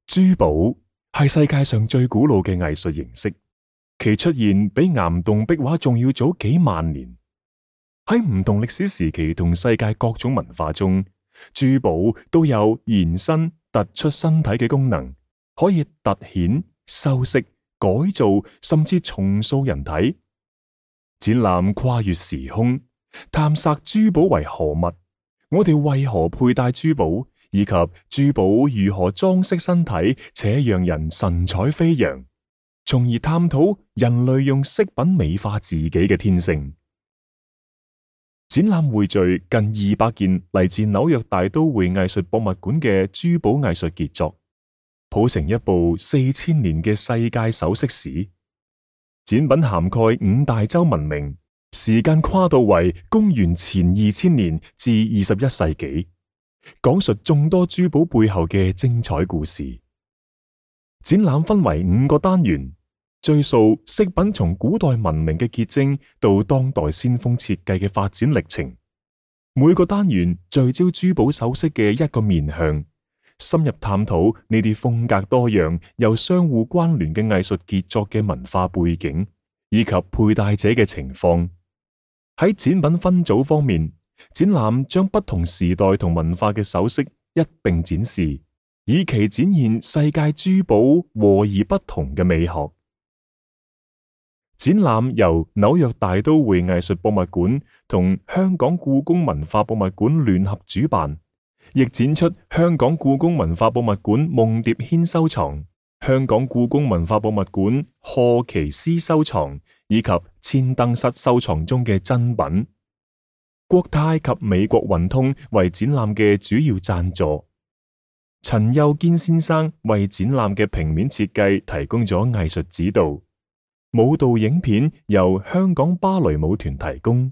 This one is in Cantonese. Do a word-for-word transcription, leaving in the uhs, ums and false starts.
珠寶係世界上最古老嘅藝術形式，其出現比岩洞壁畫仲要早幾萬年。喺唔同歷史時期同世界各種文化中，珠寶都有延伸、突出身體嘅功能，可以突顯、修飾、改造，甚至重塑人體。展覽跨越時空，探索珠寶為何物，我哋為何佩戴珠寶，以及珠寶如何裝飾身體且讓人神采飛揚，從而探討人類用飾品美化自己嘅天性。展覽匯聚近二百件嚟自紐約大都會藝術博物館嘅珠寶藝術傑作，譜成一部四千年嘅世界首飾史。展品涵蓋五大洲文明，時間跨度為公元前二千年至二十一世紀，講述眾多珠寶背後嘅精彩故事。展覽分為五個單元，追溯飾品從古代文明嘅結晶到當代先鋒設計嘅發展歷程。每個單元聚焦珠寶首飾嘅一個面向，深入探討呢啲風格多樣又相互關聯嘅藝術傑作嘅文化背景以及佩戴者嘅情況。喺展品分組方面，展覽將不同時代同文化嘅首飾一併展示，以期展現世界珠寶和而不同嘅美學。展覽由紐約大都會藝術博物館同香港故宮文化博物館聯合主辦，亦展出香港故宮文化博物館夢蝶軒收藏、香港故宮文化博物館賀奇斯收藏以及千燈室收藏中嘅珍品。國泰及美國運通為展覽嘅主要贊助，陳幼堅先生為展覽嘅平面設計提供咗藝術指導。舞蹈影片由香港芭蕾舞團提供。